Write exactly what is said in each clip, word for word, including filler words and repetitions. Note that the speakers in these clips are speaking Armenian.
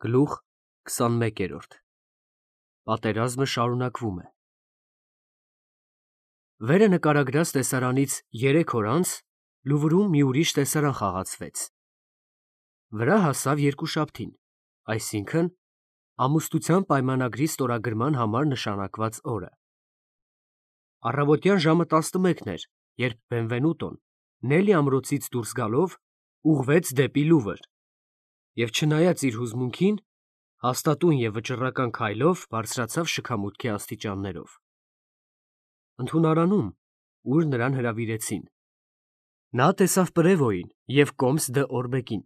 Գլուխ քսանմեկերորդ Պատերազմը շարունակվում է։ Վերը նկարագրած տեսարանից երեք օր անց Լուվրում մի ուրիշ տեսարան խաղացվեց։ Վրա հասավ երկուշաբթին, այսինքն ամուսնության պայմանագրի ստորագրման համար նշանակված օրը։ Առավոտյան ժամը տասնմեկն էր, երբ Բենվենուտոն Նելի ամրոցից դուրս գալով ուղղվեց դեպի Լուվր և չնայած իր հուզմունքին, հաստատուն և վճռական քայլով բարձրացավ շքամուտքի աստիճաններով։ Ընդունարանում, ուր նրան հրավիրեցին, նա տեսավ Պրևոյին և Կոմս դ'Օրբեկին,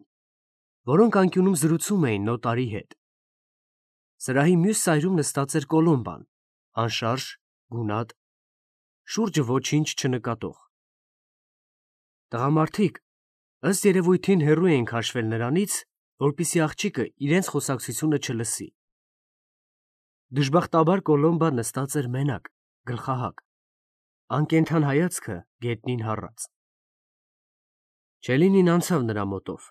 որոնք անկյունում զրուցում էին նոտարի հետ։ Սրահի մյուս ծայրում նստած էր Կոլոմբան, անշարժ, գունատ, շուրջը ոչինչ չնկատող։ Տղամարդիկ, ըստ երևույթին, հեռու էին քաշվել նրանից, որպեսզի աղջիկը իրենց խոսակցությունը չլսի։ Դժբախտաբար Կոլոմբան նստած էր մենակ, գլխահակ, անկենդան հայացքը գետնին հառած։ Չելինին անցավ նրա մոտով,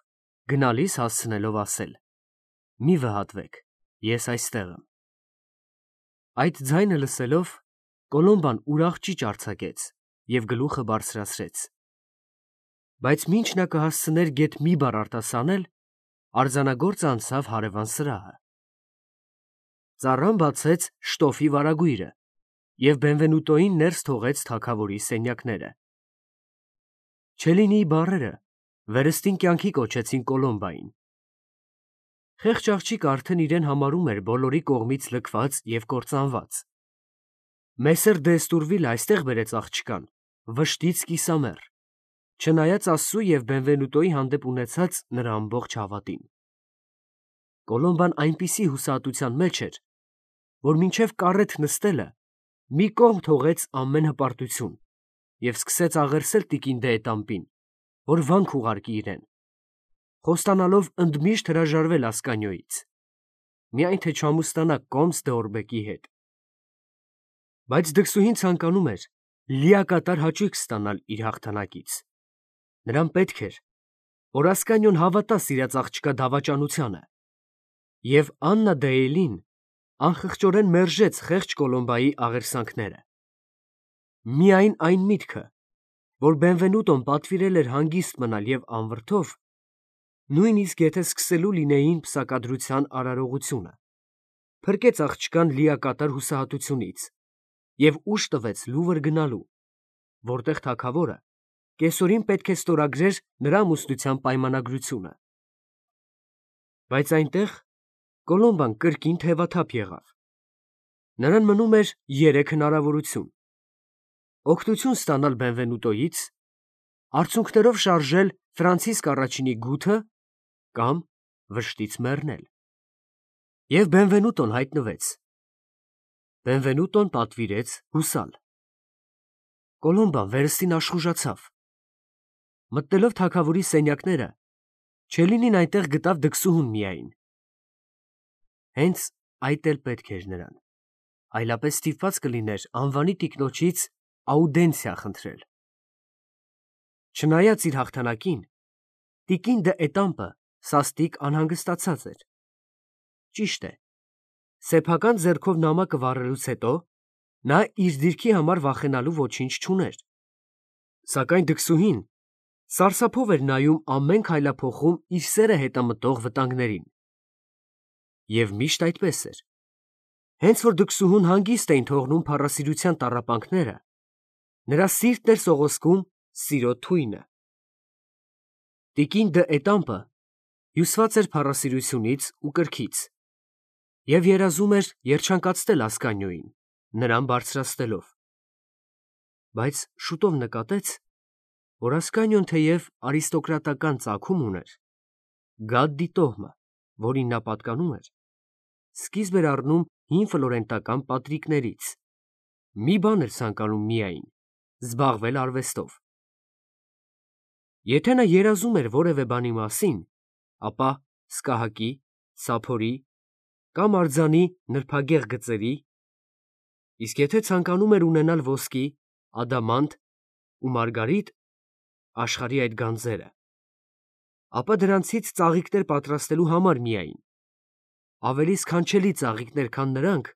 գնալիս հասցնելով ասել. «Մի վհատվեք, ես այստեղ եմ»։ Այդ ձայնը լսելով, Կոլոմբան ուրախ ճիչ արձակեց և գլուխը բարձրացրեց։ Բայց մինչ նա կհասցներ գեթ մի բառ արտասանել, արձանագործը անցավ հարևան սրահը։ Ծառան բացեց շտոֆի վարագույրը և Բենվենուտոյին ներս թողեց թագավորի սենյակները։ Չելինիի բառերը վերստին կյանքի կոչեցին Կոլոմբային։ Խեղճ աղջիկը արդեն իրեն համարում էր բոլորի կողմից լքված և կործանված։ Մեսեր դ'Էստուրվիլը այստեղ բերեց աղջկան, վշտից կիսամեռ, չնայած Աստծու և Բենվենուտոյի հանդեպ ունեցած նրա ամբողջ հավատին։ Կոլոմբան այնպիսի հուսահատության մեջ էր, որ մինչև կառետ նստելը մի կողմ թողեց ամեն հպարտություն և սկսեց աղերսել տիկին դ'Ետամպին, որ վանք ուղարկի իրեն, խոստանալով ընդմիշտ հրաժարվել Ասկանիոյից, միայն թե չամուսնանա Կոմս դ'Օրբեկի հետ։ Բայց դքսուհին ցանկանում էր լիակատար հաճույք ստանալ իր հաղթանակից։ Նրան պետք էր, որ Ասկանիոն հավատա սիրած աղջկա դավաճանությանը, և Աննա դ'Էյլին անխղճորեն մերժեց խեղճ Կոլոմբայի աղերսանքները։ Միայն այն միտքը, որ Բենվենուտոն պատվիրել էր հանգիստ մնալ և անվրդով, նույնիսկ եթե սկսելու լինեին պսակադրության արարողությունը, փրկեց աղջկան լիակատար հուսահատությունից և ուժ տվեց Լուվր գնալու, որտեղ թագավորը կեսօրին պետք է ստորագրեր նրա ամուսնության պայմանագրությունը։ Բայց այնտեղ Կոլոմբան կրկին թևաթափ եղավ։ Նրան մնում էր երեք հնարավորություն. օգնություն ստանալ Բենվենուտոյից, արցունքներով շարժել Ֆրանցիսկ առաջինի գութը կամ վշտից մեռնել։ Եվ Բենվենուտոն հայտնվեց։ Բենվենուտոն պատվիրեց հուսալ։ Կոլոմբան վերստին աշխուժացավ։ Մտնելով թագավորի սենյակները, Չելինին այնտեղ գտավ դքսուհուն միայն։ Հենց այդ էլ պետք էր նրան, այլապես ստիպված կլիներ անվանի տիկնոջից աուդենցիա խնդրել։ Չնայած իր հաղթանակին, տիկին դ'Էտամպը սաստիկ անհանգստացած էր։ Ճիշտ է, սեփական ձեռքով նամակը վառելուց հետո նա իր դիրքի համար վախենալու ոչինչ չուներ։ Սակայն դքսուհին սարսափով էր նայում ամեն քայլափոխում իր սերը հետամտող վտանգներին։ Եվ միշտ այդպես էր։ Հենց որ դքսուհուն հանգիստ էին թողնում փառասիրության տառապանքները, նրա սիրտն էր սողոսկում սիրո թույնը։ Տիկին դ'Էտամպը հյուսված էր փառասիրությունից ու կրքից և երազում էր երջանկացնել Ասկանիոյին, նրան բարձրացնելով։ Բայց շուտով նկատեց, որ Ասկանիոն թեև արիստոկրատական ծագում ուներ, գադդի տոհմը, որին նա պատկանում էր, սկիզբ էր առնում հին ֆլորենտական պատրիկներից, մի բան էր ցանկանում միայն՝ զբաղվել արվեստով։ Եթե նա երազում էր որևէ բանի մասին, ապա սկահակի, սափորի կամ արձանի նրբագեղ գծերի, իսկ եթե ցանկանում էր ունենալ ոսկի, ադամանդ ու մարգարիտ (աշխարհի այդ գանձերը), ապա դրանցից ծաղիկներ պատրաստելու համար միայն, ավելի սքանչելի ծաղիկներ, քան նրանք,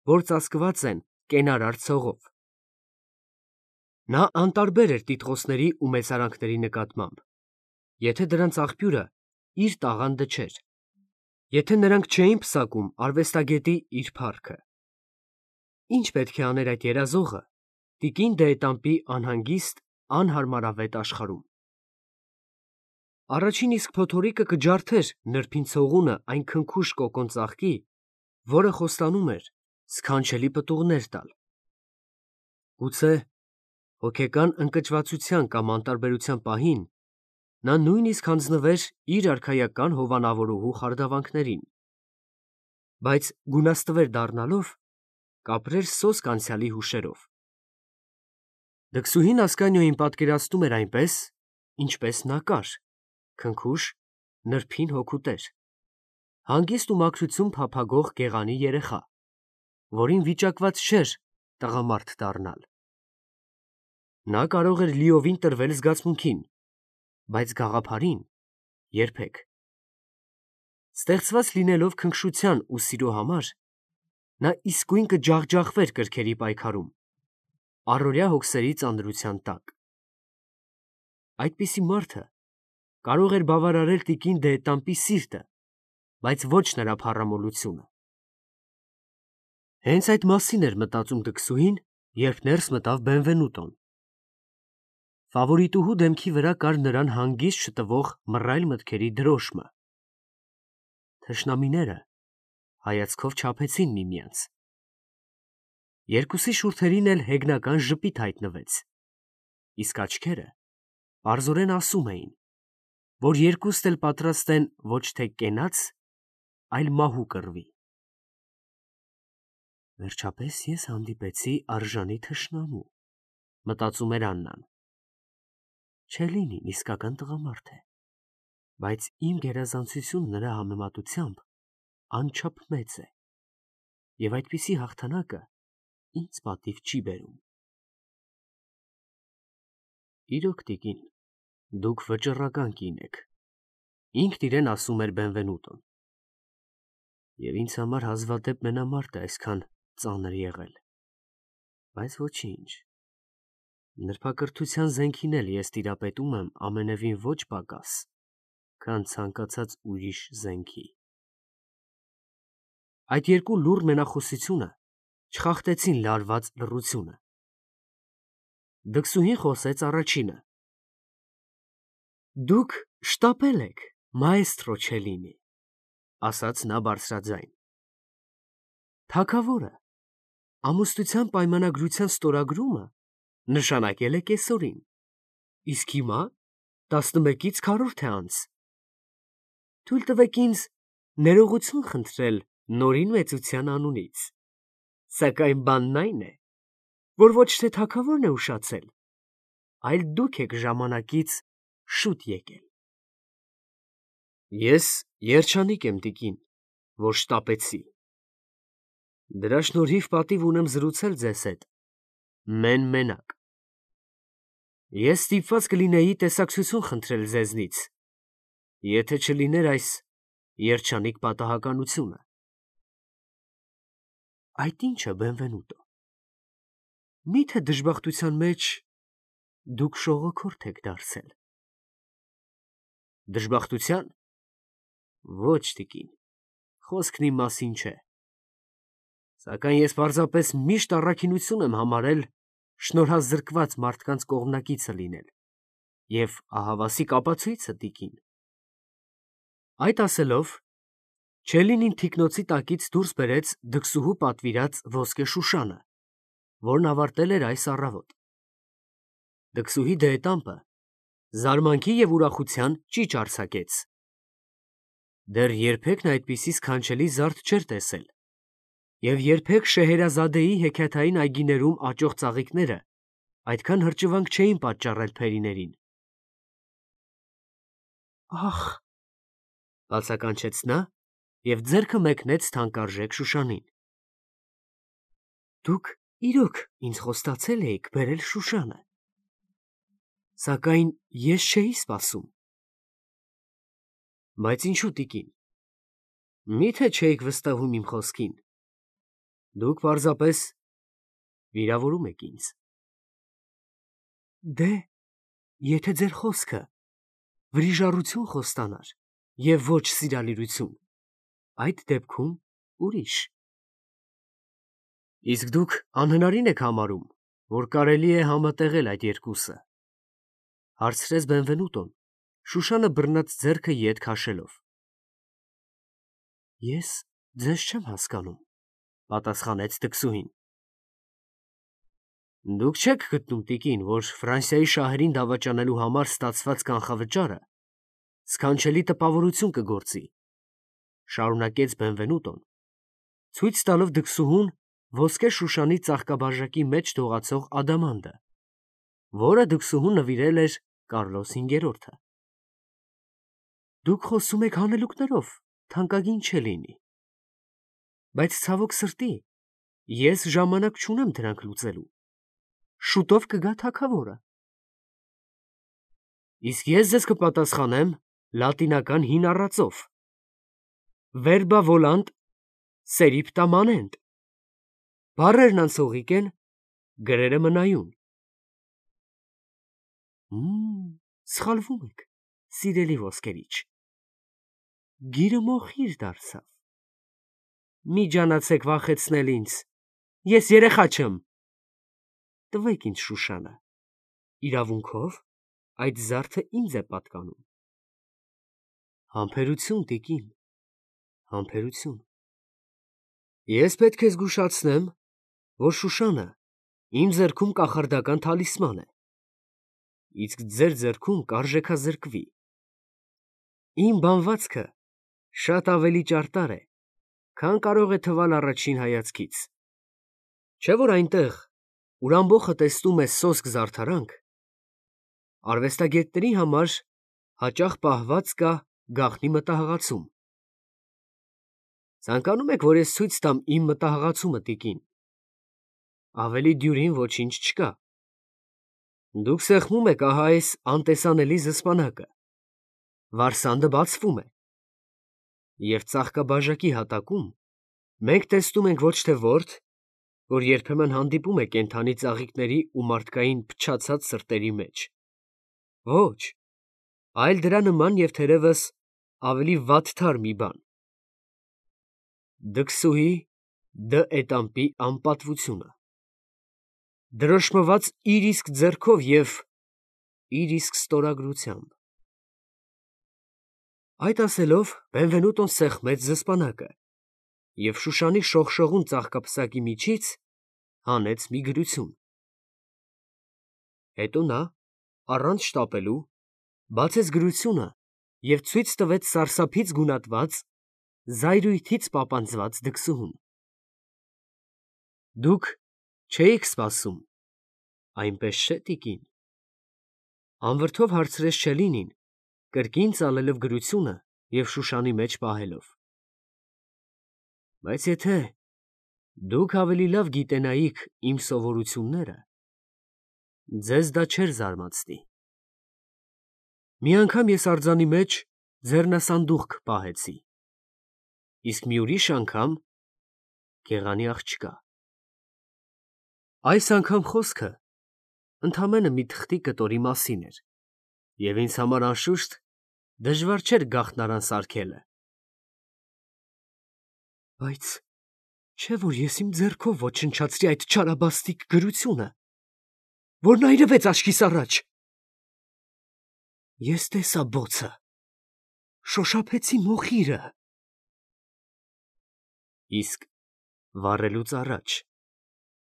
որ ծածկված են կենարար ցողով։ Նա անտարբեր էր տիտղոսների ու մեծարանքների նկատմամբ, եթե դրանց աղբյուրը իր տաղանդը չէր, եթե նրանք չէին պսակում արվեստագետի իր փառքը։ Ինչ պետք է աներ այդ երազողը տիկին Դեետամպի անհանգիստ, անհարմարավետ աշխարհում։ Առաջին իսկ փոթորիկը կջարդեր նրբին ցողունը այն քնքուշ կոկոն ծաղկի, որը խոստանում էր սքանչելի պտուղներ տալ։ Գուցե հոգեկան ընկճվածության կամ անտարբերության պահին նա նույնիսկ հանձնվեր իր արքայական հովանավորուհու խարդավանքներին, բայց գունաստվեր դառնալով կապրեր սոսկ անցյալի հուշերով։ Դքսուհին Ասկանիոին պատկերացնում էր այնպես, ինչպես նա կար, քնքուշ, նրբին հոգուտեր, հանգիստ ու մաքրություն փափագող գեղանի երեխա, որին վիճակված չէր տղամարդ դառնալ։ Նա կարող էր լիովին տրվել զգացմունքին, բայց գաղափարին երբեք։ Ստեղծված լինելով քնքշության ու սիրո համար, նա իսկույն կջախջախվեր կրքերի պայքարում, առօրյա հոգսերի ծանրության տակ։ Այդպիսի մարդը կարող էր բավարարել տիկին Դեետամպի սիրտը, բայց ոչ նրա փառամոլությունը։ Հենց այդ մասին էր մտածում դքսուհին, երբ ներս մտավ Բենվենուտոն։ Ֆավորիտուհու դեմքի վրա կար նրան հանգիստ շտվող մռայլ մտքերի դրոշմը։ Թշնամիները հայացքով չափեցին միմյանց։ Երկուսի շուրթերին էլ հեգնական ժպիտ հայտնվեց, իսկ աչքերը պարզորեն ասում էին, որ երկուստ էլ պատրաստ են ոչ թե կենաց, այլ մահու կռվի։ Վերջապես ես հանդիպեցի արժանի թշնամու, մտածում էր Աննան։ Չելինին իսկական տղամարդ է, բայց իմ գերազանցությունը նրա համեմատությամբ անչափ մեծ է, և այդպիսի հաղթանակը ինձ պատիվ չի բերում։ Իրոք, տիկին, դուք վճռական կին եք, ինքն իրեն ասում էր Բենվենուտոն, և ինձ համար հազվադեպ մենամարտ է այսքան ծանր եղել, բայց ոչինչ, նրբակրթության զենքին էլ ես տիրապետում եմ ամենևին ոչ պակաս, քան ցանկացած ուրիշ զենքի։ Այդ երկու լուռ մենախոսությունը չխախտեցին լարված լռությունը։ Դքսուհին խոսեց առաջինը. Դուք շտապել եք, մաեստրո Չելինի, ասաց նա բարձրաձայն։ Թագավորը ամուսնության պայմանագրության ստորագրումը նշանակել է կեսօրին, իսկ հիմա տասնմեկից քառորդ է անց։ Թույլ տվեք ինձ ներողություն խնդրել նորին մեծության անունից, սակայն բանն այն է, որ ոչ թե թագավորն է ուշացել, այլ դուք եք ժամանակից շուտ եկել։ Ես երջանիկ եմ, տիկին, որ շտապեցի։ Դրա շնորհիվ պատիվ ունեմ զրուցել ձեզ հետ մեն֊մենակ։ Ես ստիպված կլինեի տեսակցություն խնդրել ձեզնից, եթե չլիներ այս երջանիկ պատահականությունը։ Այդ ի՞նչը, Բենվենուտո։ Մի՞թե դժբախտության մեջ դուք շողոքորթ եք դարձել։ Դժբախտության։ Ոչ, տիկին, խոսքն իմ մասին չէ։ Սակայն ես պարզապես միշտ առաքինություն եմ համարել շնորհազրկված մարդկանց կողմնակիցը լինել, և ահավասիկ ապացույցը, տիկին։ Այդ ասելով, Չելինին թիկնոցի տակից դուրս բերեց դքսուհու պատվիրած ոսկե շուշանը, որն ավարտել էր այս առավոտ։ Դքսուհի Դեետամպը զարմանքի և ուրախության ճիչ արձակեց։ Դեռ երբեք նա այդպիսի սքանչելի զարդ չէր տեսել, և երբեք Շեհերազադեի հեքիաթային այգիներում աճող ծաղիկները այդքան հրճվանք չէին պատճառել փերիներին։ Ախ, բացականչեց նա և ձեռքը մեկնեց թանկարժեք շուշանին։ Դուք իրոք ինձ խոստացել էիք բերել շուշանը, սակայն ես չէի սպասում։ Բայց ինչու, տիկին, Մի՞թե չէիք վստահում իմ խոսքին։ Դուք պարզապես վիրավորում եք ինձ։ Դե, եթե ձեր խոսքը վրիժառություն խոստանար և ոչ սիրալիրություն, այդ դեպքում ուրիշ։ Իսկ դուք անհնարին եք համարում, որ կարելի է համատեղել այդ երկուսը, հարցրեց Բենվենուտոն, Շուշանը բռնած ձեռքը ետ քաշելով։ Ես ձեզ չեմ հասկանում, պատասխանեց դքսուհին։ Դուք չեք գտնում, տիկին, որ Ֆրանսիայի շահերին դավաճանելու համար ստացված կանխավճարը սքանչելի տպավորություն կգործի, շարունակեց Բենվենուտոն, ցույց տալով դքսուհուն ոսկե շուշանի ծաղկաբաժակի մեջ դողացող ադամանդը, որը դքսուհուն նվիրել էր Կարլոս հինգերորդը։ Դուք խոսում եք հանելուկներով, թանկագին չէ լինի։ Բայց ցավոք սրտի, ես ժամանակ չունեմ դրանք լուծելու։ Շուտով կգա թագավորը։ Իսկ ես ձեզ կպատասխանեմ լատինական հին առածով. Verba volant seripta manent։ Բառերն անցողիկ են, գրերը մնայուն։ Մմ, սխալվում եք, սիրելի ոսկերիչ։ Գիրը մոխիր դարձավ։ Մի ջանացեք վախեցնել ինձ, ես երեխա չեմ։ Տվեք ինձ Շուշանը, իրավունքով այդ զարդը ինձ է պատկանում։ Համբերություն, տիկին, համբերություն։ Ես պետք է զգուշացնեմ, որ Շուշանը իմ ձեռքում կախարդական թալիսման է, իսկ ձեր ձեռքում կարժեքազրկվի։ Իմ բանվածքը շատ ավելի ճարտար է, քան կարող է թվալ առաջին հայացքից։ Չէ՞ որ այնտեղ, ուր ամբոխը տեսնում է սոսկ զարդարանք, արվեստագետների համար հաճախ պահված կա գաղտնի մտահղացում։ Ցանկանում եք, որ ես ցույց տամ իմ մտահղացումը, տիկին։ Ավելի դյուրին ոչինչ չկա։ Դուք սեղմում եք ահա այս անտեսանելի զսպանակը, վարսանդը բացվում է, և ծաղկաբաժակի հատակում մենք տեսնում ենք ոչ թե որդ, որ երբեմն հանդիպում է կենդանի ծաղիկների ու մարդկային փչացած սրտերի մեջ, ոչ, այլ դրա նման և թերևս ավելի վատթար մի բան. դքսուհի Դ. Էտամպի անպատվությունը, դրոշմված իր իսկ ձեռքով և իր իսկ ստորագրությամբ։ Այդ ասելով Բենվենուտոն սեղմեց զսպանակը և Շուշանի շողշողուն ծաղկապսակի միջից հանեց մի գրություն։ Հետո նա, առանց շտապելու, բացեց գրությունը և ցույց տվեց սարսափից գունատված, զայրույթից պապանձված դքսուհուն։ Դուք չէիք սպասում, այնպես չէ՞, տիկին, անվրդով հարցրեց Չելլինին, կրկին ծալելով գրությունը և Շուշանի մեջ պահելով։ Բայց եթե դուք ավելի լավ գիտենայիք իմ սովորությունները, ձեզ դա չէր զարմացնի։ Մի անգամ ես արձանի մեջ ձեռնասանդուղք պահեցի, իսկ մի ուրիշ անգամ գեղանի աղջկա։ Այս անգամ խոսքը ընդամենը մի թղթի կտորի մասին էր, և ինձ համար անշուշտ դժվար չէր գաղտնարան սարքելը։ Բայց չէ՞ որ ես իմ ձեռքով ոչնչացրի այդ չարաբաստիկ գրությունը, որն այրվեց աչքիս առաջ։ Ես տեսա բոցը, շոշափեցի մոխիրը։ Իսկ վառելուց առաջ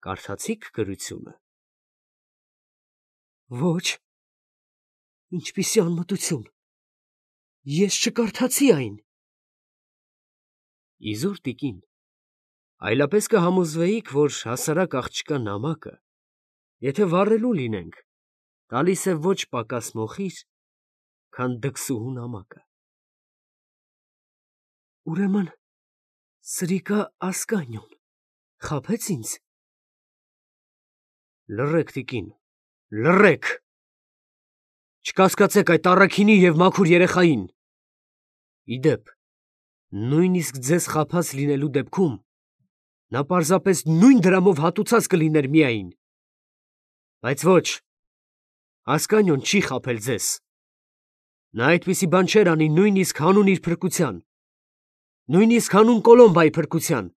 կարդացի՞ք գրությունը։ Ոչ, ինչպիսի անմտություն, ես չկարդացի այն։ Իզուր, տիկին, այլապես կհամոզվեիք, որ հասարակ աղջկա նամակը, եթե վառելու լինենք, տալիս է ոչ պակաս մոխիր, քան դքսուհու նամակը։ Ուրեմն սրիկա ասկանյոն խաբե՞ց ինձ։ Լռեք, տիկին, լռեք, չկասկածեք այդ առաքինի և մաքուր երեխային։ Ի դեպ, Նույնիսկ ձեզ խաբած լինելու դեպքում նա պարզապես նույն դրամով հատուցած կլիներ միայն։ Բայց ոչ, Ասկանիոն չի խաբել ձեզ։ Նա այդպիսի բան չէր անի նույնիսկ հանուն իր փրկության, նույնիսկ հանուն Կոլոմբայի փրկության,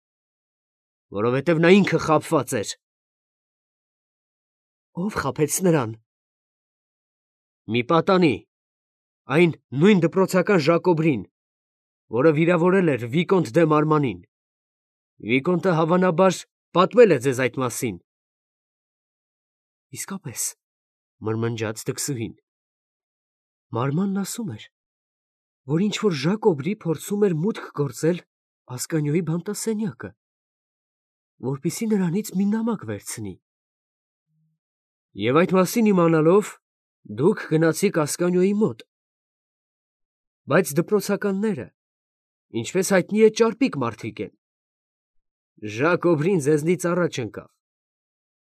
որովհետև նա ինքը խաբված էր։ Ո՞վ խաբեց նրան։ Մի պատանի, այն նույն դպրոցական Ժակոբրին, որը վիրավորել էր Վիկոնտ դե Մարմանին։ Վիկոնտը հավանաբար պատմել է ձեզ այդ մասին։ Իսկապես, մրմնջաց դքսուհին։ Մարմանն ասում էր, որ ինչ-որ Ժակոբրի փորձում էր մուտք գործել Ասկանիոյի բանտասենյակը, որպեսզի նրանից մի նամակ վերցնի։ Եվ այդ մասին իմանալով, դուք գնացիք Ասկանիոյի մոտ։ Բայց դպրոցականները, ինչպես հայտնի է, ճարպիկ մարդիկ են։ Ժակոբրին ձեզնից առաջ ընկավ։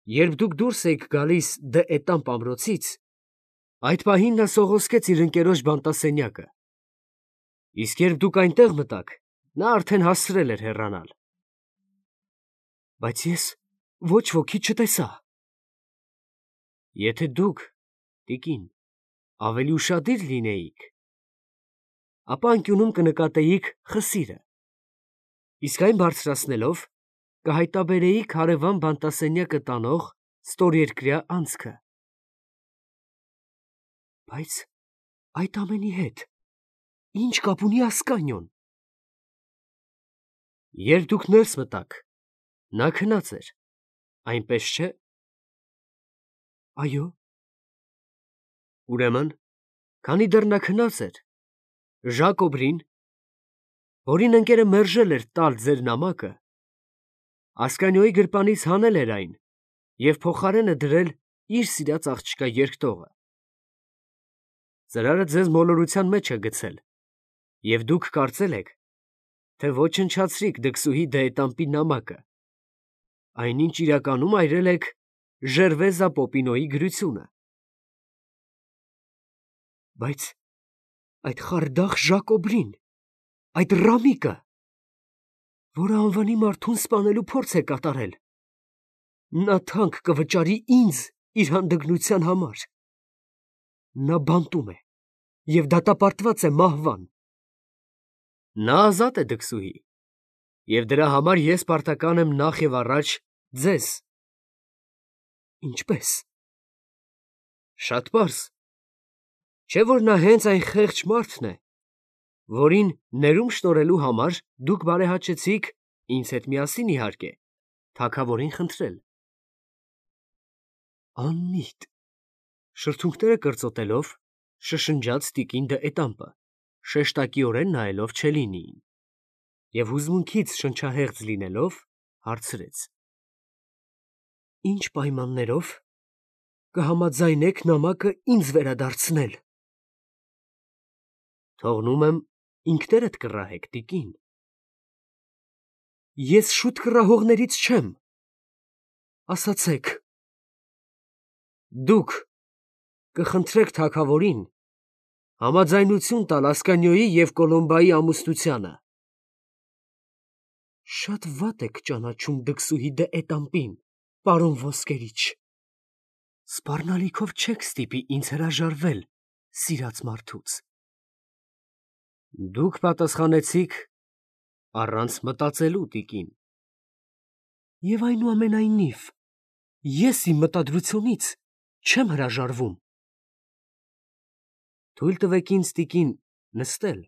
Երբ դուք դուրս էիք գալիս դե Էտամպ ամրոցից, այդ պահին նա սողոսկեց իր ընկերոջ բանտասենյակը։ Իսկ երբ դուք այնտեղ մտաք, նա արդեն հասցրել էր հեռանալ։ Բայց ես ոչ ոքի չտեսա։ Եթե դուք, տիկին, ավելի ուշադիր լինեիք, ապա անկյունում կնկատեիք խսիրը, իսկ այն բարձրացնելով կհայտաբերեիք հարևան բանտասենյակը տանող ստորերկրյա անցքը։ Բայց այդ ամենի հետ ինչ կապ ունի Ասկանիոն։ Երբ դուք ներս մտաք, նա քնած էր, այնպես չէ։ Այո։ Ուրեմն, քանի դեռ նա քնած էր, Ժակոբրին, որին ընկերը մերժել էր տալ ձեր նամակը, Ասկանիոյի գրպանից հանել էր այն և փոխարենը դրել իր սիրած աղջկա երկտողը։ Ծրարը ձեզ մոլորության մեջ է գցել, և դուք կարծել եք, թե ոչնչացրիք դքսուհի դե Էտամպի նամակը, այնինչ իրականում այրել եք Ժերվեզա Պոպինոյի գրությունը։ Բայց այդ խարդախ Ժակոբրին, այդ Ռամիկը, որը անվանի մարդուն սպանելու փորձ է կատարել, նա թանկ կվճարի ինձ իր հանդգնության համար։ Նա բանտում է և դատապարտված է մահվան։ Նա ազատ է, դքսուհի, և դրա համար ես պարտական եմ նախ և առաջ ձեզ։ Ինչպե՞ս։ Շատ պարզ։ Չէ՞ որ նա հենց այն խեղճ մարդն է, որին ներում շնորհելու համար դուք բարեհաճեցիք, ինձ հետ միասին, իհարկե, թագավորին խնդրել։ Անմիտ, շրթունքները կրծոտելով, շշնջաց տիկին դե Էտամպը, շեշտակիորեն նայելով Չելլինիին, և հուզմունքից շնչահեղձ լինելով, հարցրեց. Ինչ պայմաններով կհամաձայնեք նամակը ինձ վերադարձնել։ Թողնում եմ ինքներդ կռահեք, տիկին։ Ես շուտ կռահողներից չեմ։ Ասացեք։ Դուք կխնդրեք թագավորին համաձայնություն տալ Ասկանիոյի և Կոլոմբայի ամուսնությանը։ Շատ վատ եք ճանաչում դքսուհի դե Էտամպին, պարոն ոսկերիչ։ Սպառնալիքով չեք ստիպի ինձ հրաժարվել սիրած մարդուց։ Դուք պատասխանեցիք առանց մտածելու, տիկին։ Եվ այնուամենայնիվ, ես իմ մտադրությունից չեմ հրաժարվում։ Թույլ տվեք ինձ, տիկին, նստել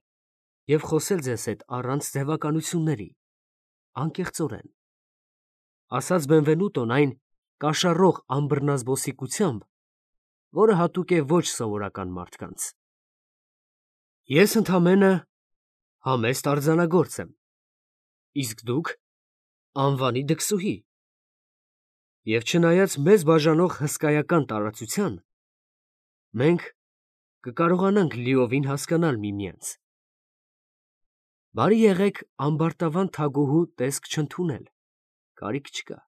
և խոսել ձեզ հետ առանց ձևականությունների, անկեղծորեն, ասաց Բենվենուտոն այն կաշառող անբռնազբոսիկությամբ, որը հատուկ է ոչ սովորական մարդկանց։ Ես ընդամենը համեստ արձանագործ եմ, իսկ դուք անվանի դքսուհի, և չնայած մեզ բաժանող հսկայական տարածության, մենք կկարողանանք լիովին հասկանալ միմյանց։ Բարի եղեք ամբարտավան թագուհու տեսք չընդունել, կարիք չկա։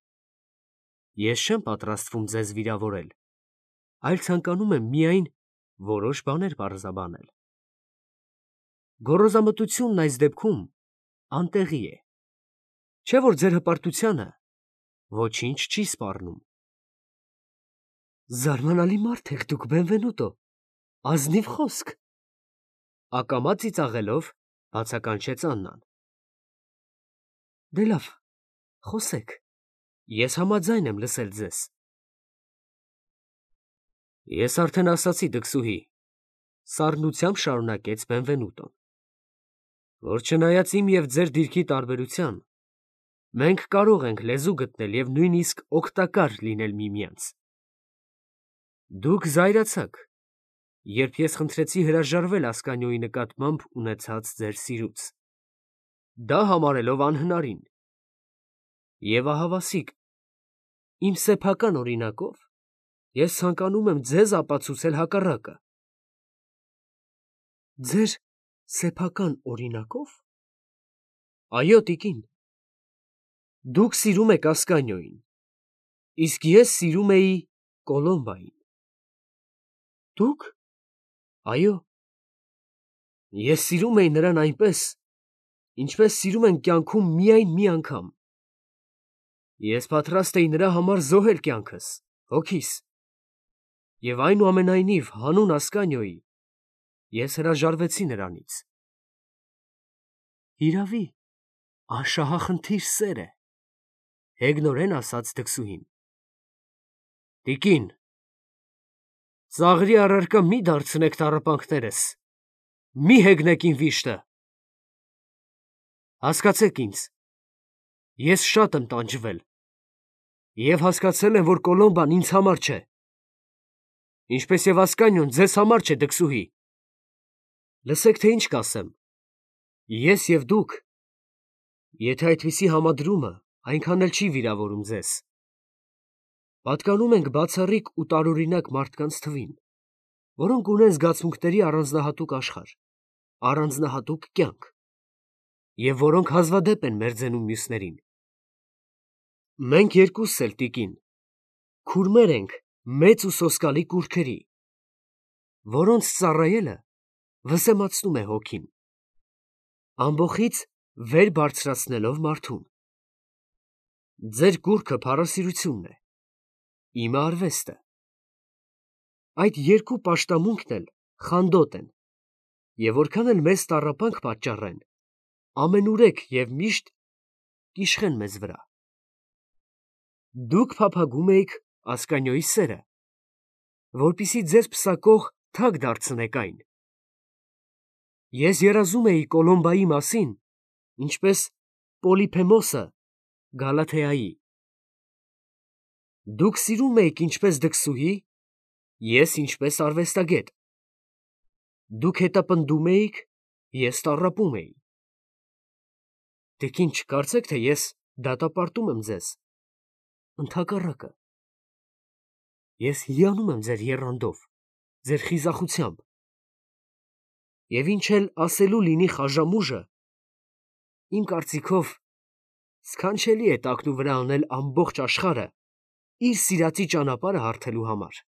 Ես չեմ պատրաստվում ձեզ վիրավորել, այլ ցանկանում եմ միայն որոշ բաներ պարզաբանել։ Գոռոզամտությունն այս դեպքում անտեղի է։ Չէ՞ որ ձեր հպարտությանը ոչինչ չի սպառնում։ Զարմանալի մարդ եք դուք, Բենվենուտո, ազնիվ խոսք, ակամա ծիծաղելով բացականչեց Աննան։ Դե լավ, խոսեք, ես համաձայն եմ լսել ձեզ։ Ես արդեն ասացի, դքսուհի, սառնությամբ շարունակեց Բենվենուտոն, որ չնայած իմ և ձեր դիրքի տարբերության, մենք կարող ենք լեզու գտնել և նույնիսկ օգտակար լինել միմյանց։ Դուք զայրացաք, երբ ես խնդրեցի հրաժարվել Ասկանիոյի նկատմամբ ունեցած ձեր սիրուց, դա համարելով անհնարին։ Եվ ահավասիկ, իմ սեփական օրինակով ես ցանկանում եմ ձեզ ապացուցել հակառակը։ Ձեր սեփական օրինակո՞վ։ Այո, տիկին, դուք սիրում եք Ասկանիոյին, իսկ ես սիրում էի Կոլոմբային։ Դուք։ Այո, ես սիրում էի նրան այնպես, ինչպես սիրում են կյանքում միայն մի անգամ։ Ես պատրաստ էի նրա համար զոհել կյանքս, հոգիս, և այնուամենայնիվ հանուն Ասկանիոյի ես հրաժարվեցի նրանից։ Հիրավի, անշահախնդիր սեր է, հեգնորեն ասաց դքսուհին։ Տիկին, ծաղրի առարկա մի դարձնեք տառապանքներս, մի հեգնեք իմ վիշտը։ Հասկացեք ինձ, ես շատ եմ տանջվել և հասկացել եմ, որ Կոլոմբան ինձ համար չէ, ինչպես և Ասկանիոն ձեզ համար չէ, դքսուհի։ Լսեք, թե ինչ կասեմ. ես և դուք, եթե այդպիսի համադրումը այնքան էլ չի վիրավորում ձեզ, պատկանում ենք բացառիկ ու տարօրինակ մարդկանց թվին, որոնք ունեն զգացմունքների առանձնահատուկ աշխարհ, առանձնահատուկ կյանք, և որոնք հազվադեպ են մերձենում մյուսներին։ Մենք երկուսս էլ, տիկին, քուրմեր ենք մեծ ու սոսկալի կուռքերի, որոնց ծառայելը վսեմացնում է հոգին, ամբոխից վեր բարձրացնելով մարդուն։ Ձեր կուռքը փառասիրությունն է, իմը արվեստը։ Այդ երկու պաշտամունքն էլ խանդոտ են, և որքան էլ մեծ տառապանք պատճառեն, ամենուրեք և միշտ կիշխեն մեզ վրա։ Դուք փափագում էիք Ասկանիոյի սերը, որպեսզի ձեզ պսակող թագ դարձնեք այն։ Ես երազում էի Կոլոմբայի մասին, ինչպես Պոլիփեմոսը Գալաթեայի։ Դուք սիրում էիք ինչպես դքսուհի, ես ինչպես արվեստագետ։ Դուք հետապնդում էիք, ես տառապում էի։ Տիկին, չկարծեք, թե ես դատապարտում եմ ձեզ, ընդհակառակը, ես հիանում եմ ձեր եռանդով, ձեր խիզախությամբ, և ինչ էլ ասելու լինի Խաժամուժը, իմ կարծիքով, սքանչելի է տակնուվրա անել ամբողջ աշխարհը իր սիրածի ճանապարհը հարթելու համար։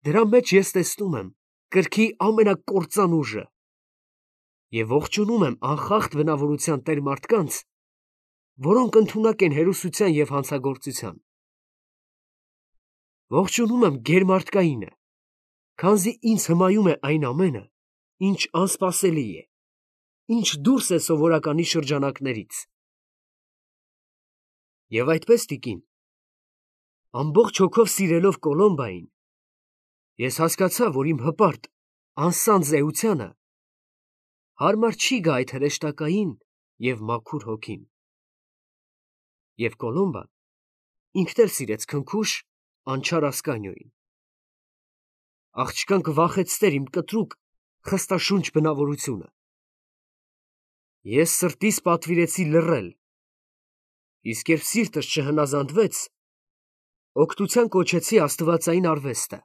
Դրա մեջ ես տեսնում եմ կրքի ամենակործան ուժը և ողջունում եմ անխախտ բնավորության տեր մարդկանց, որոնք ընդունակ են հերոսության և հանցագործության։ Ողջունում եմ գերմարդկայինը, քանզի ինձ հմայում է այն ամենը, ինչ անսպասելի է, ինչ դուրս է սովորականի շրջանակներից։ Եվ այդպես, տիկին, ամբողջ հոգով սիրելով Կոլոմբային, ես հասկացա, որ իմ հպարտ, անսանձ էությանը հարմար չի գա այդ հրեշտակային և մաքուր հոգին։ Եվ Կոլոմբան ինքն էլ սիրեց քնքուշ, անչար Ասկանիոյին։ Աղջկան կվախեցներ իմ կտրուկ, խստաշունչ բնավորությունը։ Ես սրտիս պատվիրեցի լռել, իսկ երբ սիրտս չհնազանդվեց, օգնության կոչեցի աստվածային արվեստը,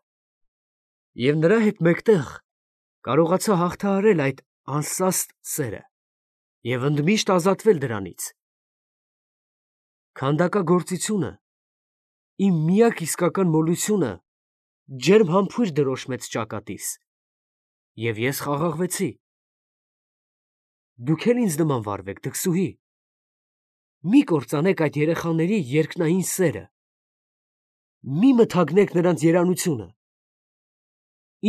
և նրա հետ մեկտեղ կարողացա հաղթահարել այդ անսաստ սերը և ընդմիշտ ազատվել դրանից։ Քանդակագործությունը, իմ միակ իսկական մոլությունը, ջերմ համբույր դրոշմեց ճակատիս, և ես խաղաղվեցի։ Դուք էլ ինձ նման վարվեք, դքսուհի։ Մի կործանեք այդ երեխաների երկնային սերը։ Մի մթագնեք նրանց երանությունը։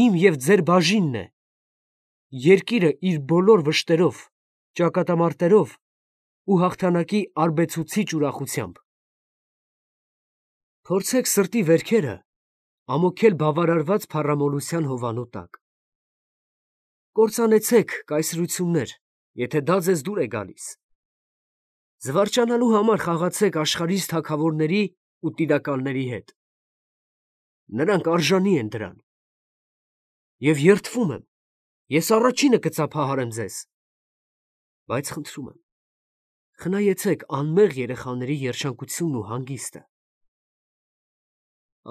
Իմ և ձեր բաժինն է։ Երկիրը իր բոլոր վշտերով, ճակատամարտերով ու հաղթանակի արբեցուցիչ ուրախությամբ։ Փորձեք սրտի վերքերը ամոքել բավարարված փառամոլության հովանու տակ։ Կործանեցեք կայսրություններ, եթե դա ձեզ դուր է գալիս։ Զվարճանալու համար խաղացեք աշխարհիս թագավորների ու տիրակալների հետ։ Նրանք արժանի են դրան։ Եվ երդվում եմ, ես առաջինը կծափահարեմ ձեզ։ Բայց խնդրում եմ, խնայեցեք անմեղ երեխաների երջանկությունն ու հանգիստը։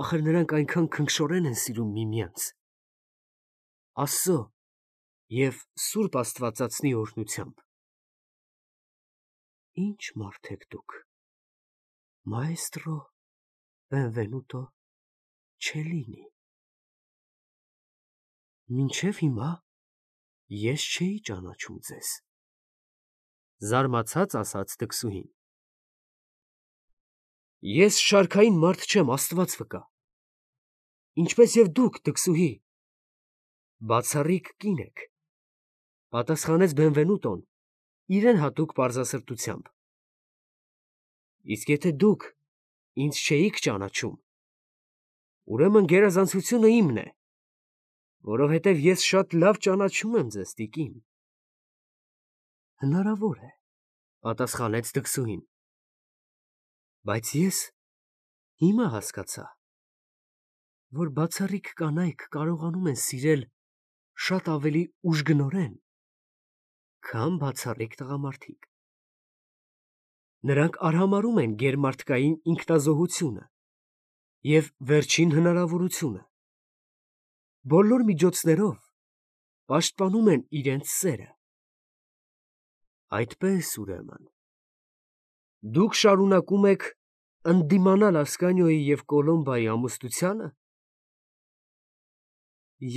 Ախր նրանք այնքան քնքշորեն են սիրում միմյանց։ Աստծո և Սուրբ Աստվածածնի օրհնությամբ։ Ինչ մարդ եք դուք, մաեստրո Բենվենուտո Չելլինի։ Մինչև հիմա ես չէի ճանաչում ձեզ, զարմացած ասաց դքսուհին։ Ես շարքային մարդ չեմ, Աստված վկա։ Ինչպես և դուք, դքսուհի, բացառիկ կին եք, պատասխանեց Բենվենուտոն իրեն հատուկ պարզասրտությամբ։ Իսկ եթե դուք ինձ չէիք ճանաչում, ուրեմն գերազանցությունը իմն է, որովհետև ես շատ լավ ճանաչում եմ ձեզ, տիկին։ Հնարավոր է, պատասխանեց դքսուհին։ Բայց ես հիմա հասկացա, որ բացառիկ կանայք կարողանում են սիրել շատ ավելի ուժգնորեն, քան բացառիկ տղամարդիկ։ Նրանք արհամարհում են գերմարդկային ինքնազոհությունը և վերջին հնարավորությունը։ Բոլոր միջոցներով պաշտպանում են իրենց սերը։ Այդպես, ուրեմն, դուք շարունակում եք ընդդիմանալ Ասկանիոյի և Կոլոմբայի ամուսնությանը։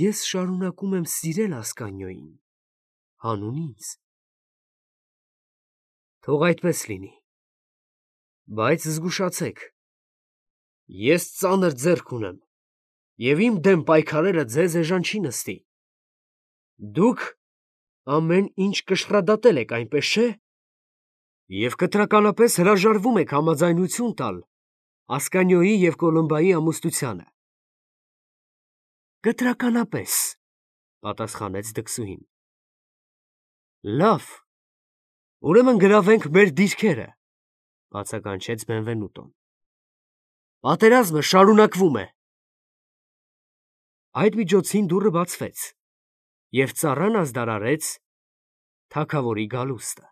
Ես շարունակում եմ սիրել Ասկանիոյին, հանուն ինձ։ Թող այդպես լինի, բայց զգուշացեք, ես ծանր ձեռք ունեմ, և իմ դեմ պայքարելը ձեզ էժան չի նստի։ Դուք ամեն ինչ կշռադատել եք, այնպես չէ՞։ Եվ կտրականապես հրաժարվում եք համաձայնություն տալ Ասկանիոյի և Կոլոմբայի ամուսնությանը։ Կտրականապես, պատասխանեց դքսուհին։ Լավ, ուրեմն գրավենք մեր դիրքերը, բացականչեց Բենվենուտոն։ Պատերազմը շարունակվում է։ Այդ միջոցին դուռը բացվեց, և ծառան ազդարարեց թագավորի գալուստը։